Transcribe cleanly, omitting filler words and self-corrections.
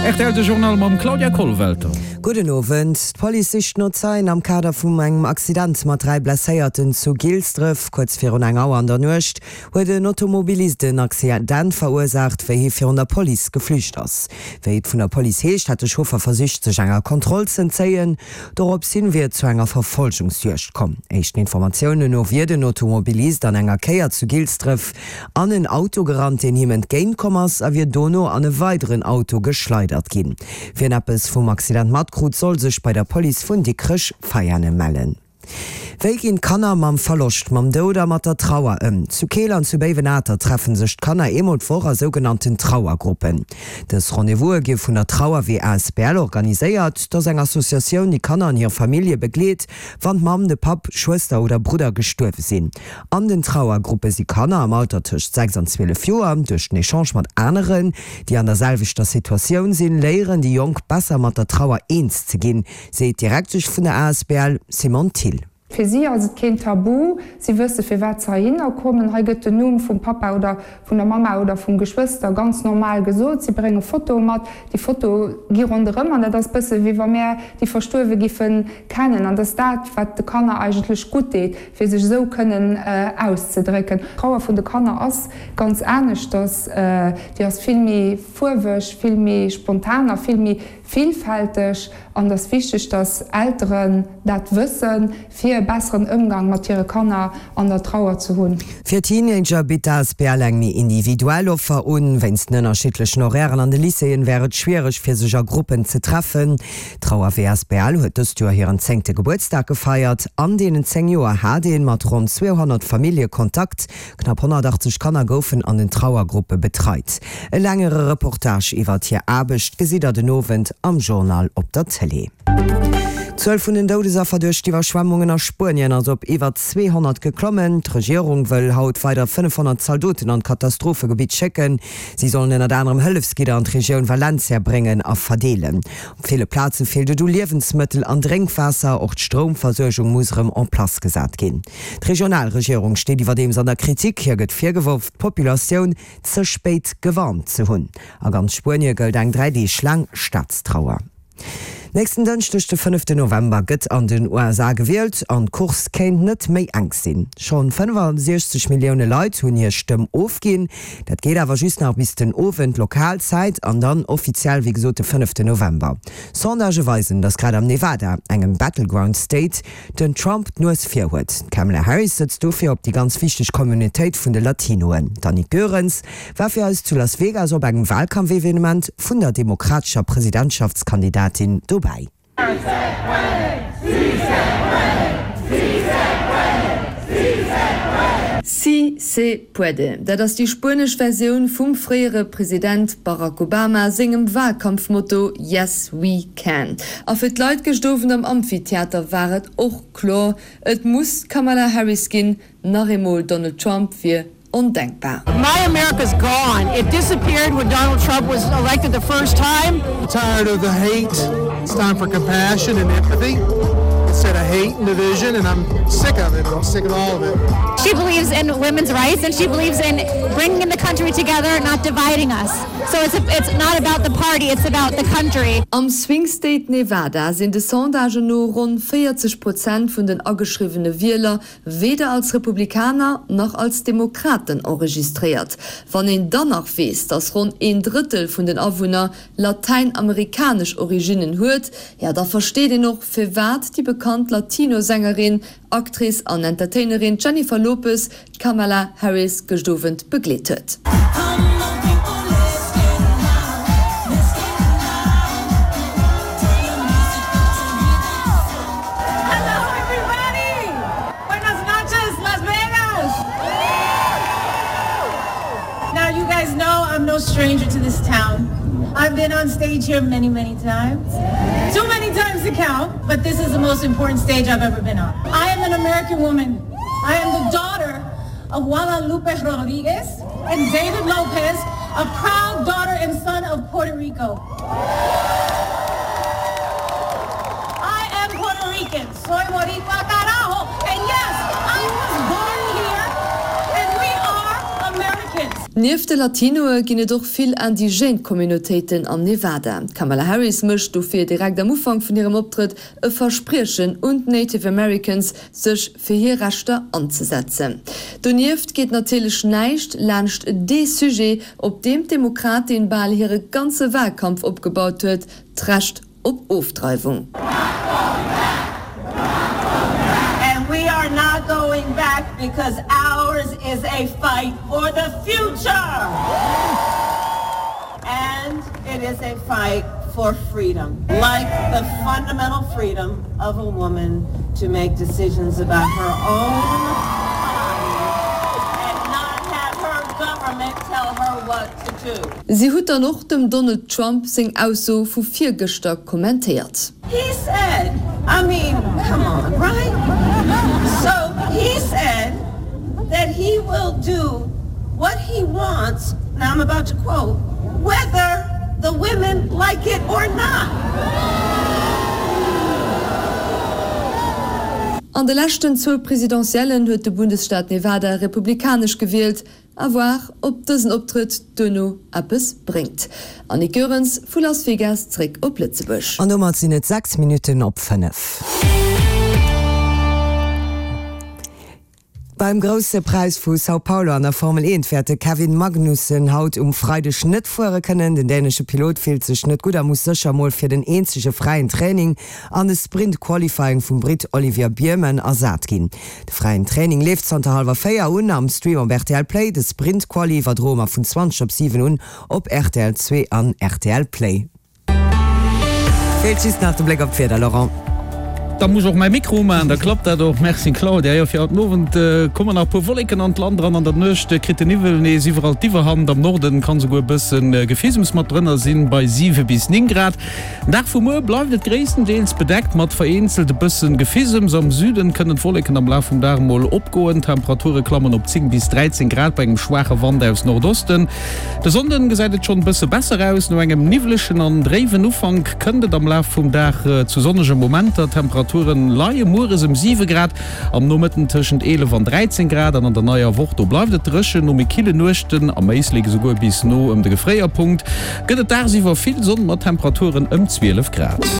Rtl de Journal mam Claudia Kollwelter. Gudden Owend. D'Police sicht no Zeien am Kader vum engem Accident mat 3 Blesséierten zu Gilsdref. Kuerz virun eng Auer an der Nuecht huet en Automobilist en Accident verursaacht, wéi hie virun der Police geflücht ass. Wéi et vun der Police heescht, hätt de Chauffer versicht, sech enger Kontroll z'entzéien. Dorops hin wier et zu enger Verfolgungsjuegd komm. Éischten Informatiounen no wier den Automobilist an enger Kéier zu Gilsdref an en Auto gerannt, deen him entgéint komm ass, a wier dono an e weideren Auto geschleidert ginn. Wien eppes vum Accident matkrut, soll sech bei der Police vun Dikrech-Veianen mellen. Wéi ginn d'Kanner mam Verloscht, mam Doud a mat der Trauer ëm? Zu Keel an zu Béiwenater treffen sech d'Kanner eemol d'Woch a sougenannten Trauergruppen. Dës Rendez-vouse gi vun der Trauerwee asbl organiséiert. Dat ass eng Associatioun, déi Kanner an hir Famillje begleet, wann d'Mamm, de Papp, Schwëster oder Brudder gestuerwe sinn. An den Trauergruppe si Kanner am Alter tëscht 6 an 12 Joer. Duerch den Echange mat aneren, déi an der selwechter Situatioun sinn, léieren déi Jonk besser mat der Trauer eens ze ginn. Seet d'Direktesch vun der asbl Simone Thill. Fir si ass et keen Tabu, si wësse firwat se heihinner kommen. Hei gëtt den Numm vum Pappa oder vun der Mamma oder vum Geschwëster ganz normal gesot. Si brénge Fotoe mat, déi Fotoe gi ronderëm an dat ass bësse wéi wa mär déi Verstuerwe giffe kennen. An dat ass dat, wat de Kanner eigentlech gutt deet, fir sech esou kënnen auszedrécken. D'Trauer vun de Kanner ass ganz aneschters, déi ass vill méi fuerweg, vill méi spontan a vill méi Villfälteg, an et ass wichteg, dass Elteren dat wëssen, fir e besseren Ëmgang mat hire Kanner an der Trauer ze hunn. Fir Teenager bitt d'ASBL eng méi individuell Offer un. Wéinst den ënnerschiddlechen Horairen an de Lycéeën wär et schwiereg, fir sech a Gruppen ze treffen. D'Trauerwee asbl huet dëst Joer hiren zéngte Gebuertsdag gefeiert. An deenen 10 Joer hat ee mat ronn 200 Famillje Kontakt. Knapp 180 Kanner goufen an den Trauergruppe betreit. E längere Reportage iwwert hir Aarbecht gesitt der den Owend am Journal op der Tëlee. D'Zuel vun den Doudesaffer duerch d'Iwwerschwemmungen a Spuenien ass op iwwer 200 geklommen. D'Regierung wëll haut weider 500 Zaldoten an d'Katastrophegebitt schécken. Si sollen ënnert anerem Hëllefsgidder an d'Regioun Valencia bréngen a verdeelen. Op ville Plaze feelt et u Liewensmëttel an Drénkwaasser. Och d'Stroumversuergung muss erëm en place gesat ginn. D'regional Regierung steet iwwerdeems an der Kritik. Hir gëtt virgeworf, d'Populatioun ze spéit gewarnt ze hunn. A ganz Spuenie gëllt eng 3 Deeg laang Staatstrauer. Nächsten Dënschdeg, de fënneften November, gëtt an den USA gewielt an d'Course kéint net méi enk sinn. Schonn 65 Millioune Leit hunn hir Stëmm ofginn. Dat geet awer just nach bis den Owend Lokalzäit an dann offiziell wéi gesot de fënneften November. Sondagë weisen, datt grad am Nevada, engem Battleground State, den Trump d'Nues vir huet. D'Kamala Harris sëtzt dofir op déi ganz wichteg Communautéit vun de Latinoen. D'Annick Goerens war fir eis zu Las Vegas op engem Wahlkampfevenement vun der demokratescher Presidentschaftskandidatin dobäi. Si se puede, dat ass déi spuenesch Versioun vum fréiere President Barack Obama sengem Wahlkampfmotto Yes we can. A fir d'Leit gëscht Owend am Amphitheater war et och kloer, Et muss d'Kamala Harris ginn, nach eemol Donald Trump wier ondenkbar. My America's gone. It disappeared when Donald Trump was elected the first time. Tired of the hate. It's time for compassion and empathy instead of hate and division and I'm sick of it. I'm sick of all of it. She believes in women's rights and she believes in bringing the country together, not dividing us. So it's it's not about the party, it's about the country. Am Swing State Nevada sinn de Sondagen no ronn 40 Prozent vun den ageschriwwene Wieler weder als Republikaner nach als Demokraten enregistréiert. Wann een dann nach weess, datt ronn een Drëttel vun den Awunner latäinamerikanesch Originnen huet, jo da versteet een och firwat déi bekannt Latino-Sängerin, Actrice an Entertainerin Jennifer Lopez d'Kamala Harris gëscht Owend begleet huet. stranger to this town. I've been on stage here many, many times. Too many times to count, but this is the most important stage I've ever been on. I am an American woman. I am the daughter of Guadalupe Rodriguez and David Lopez, a proud daughter and son of Puerto Rico. I am Puerto Rican. Soy Boricua carajo. And yes, I was born here and we are Americans. Nieft de Latinoe ginn et och vill indigène Communautéiten am Nevada. D'Kamala Harris mécht dofir direkt am Ufank vun hirem Optrëtt e Verspriechen un d'Native Americans, sech fir hir Rechter anzesetzen. Donieft geet natierlech näischt laanscht dee Sujet, op deem d'Demokratin bal hire ganze Wahlkampf opgebaut huet, d'Recht op Ofdreiwung. And we are not going back because ours is a fight for the future and it is a fight for freedom like the fundamental freedom of a woman to make decisions about her own body and not have her government tell her what to do. Si huet dann och dem Donald Trump seng Ausso vu virgëschter kommentéiert. He said, I mean, come on, right? So he said that he will do what he wants, now I'm about to quote, whether the women like it or not. An de leschten zwou Presidentiellen huet de Bundesstaat Nevada republikanesch gewielt. À voir, ob dësen Optrëtt duerno eppes bréngt. Annick Goerens vu Las Vegas zréck op Lëtzebuerg. An domat sinn et 6 Minutten op 5. Beim Grousse Präis vu São Paulo an der Formel 1 wäert de Kevin Magnussen haut um Freideg net fuere kënnen. Den dänesche Pilot fillt sech net gutt a muss sécher mol fir den eenzege fräien Training an de Sprint Qualifying vum Britt Olivier Bearman ersat ginn. De fräien Training leeft zanter hallwer 4 un am Stream op rtl Play. De Sprint Quali iwwerdroe mer vun 20 op 7 un op rtl 2 an rtl Play. Feelt just nach de Bléck op d'Wieder, Laurent. Da muss och mäi Mikro umachen, da klappt dat och. Merci Claudia. Jo, fir haut den Owend kommen nach e puer Wolleken an d'Land eran. An der Nuecht kritt de Niwwel nees iwwerall d'Iwwerhand. Am Norden kann esouguer e bësse Gefisems mat drënner sinn, bei 7 bis 9 Grad. Den Dag vu muer bleift et gréisstendeels bedeckt mat vereenzelt e bëssen Gefisems. Am Süden kënnen d'Wolleken am Laf vum Dag mol opgoen. D'Temperature klammen op 10 bis 13 Grad bei engem schwaache Wand aus Nordosten. De Sonnden gesäit et schonn e bësse besser aus. No engem niwwlechen an dréiwen Ufank kënnt et am Laf vum Dag zu sonnege Momenter. D'Temperature leie mueres ëm 7 Grad, am Nomëtten tëschent 11 an 13 Grad an an der neier Woch do bleift et dréchen. No méi kille Nuechten, am Éislek esouguer bis no ëm de Gefréierpunkt, gëtt et dagsiwwer vill Sonn mat Temperaturen ëm 12 Grad.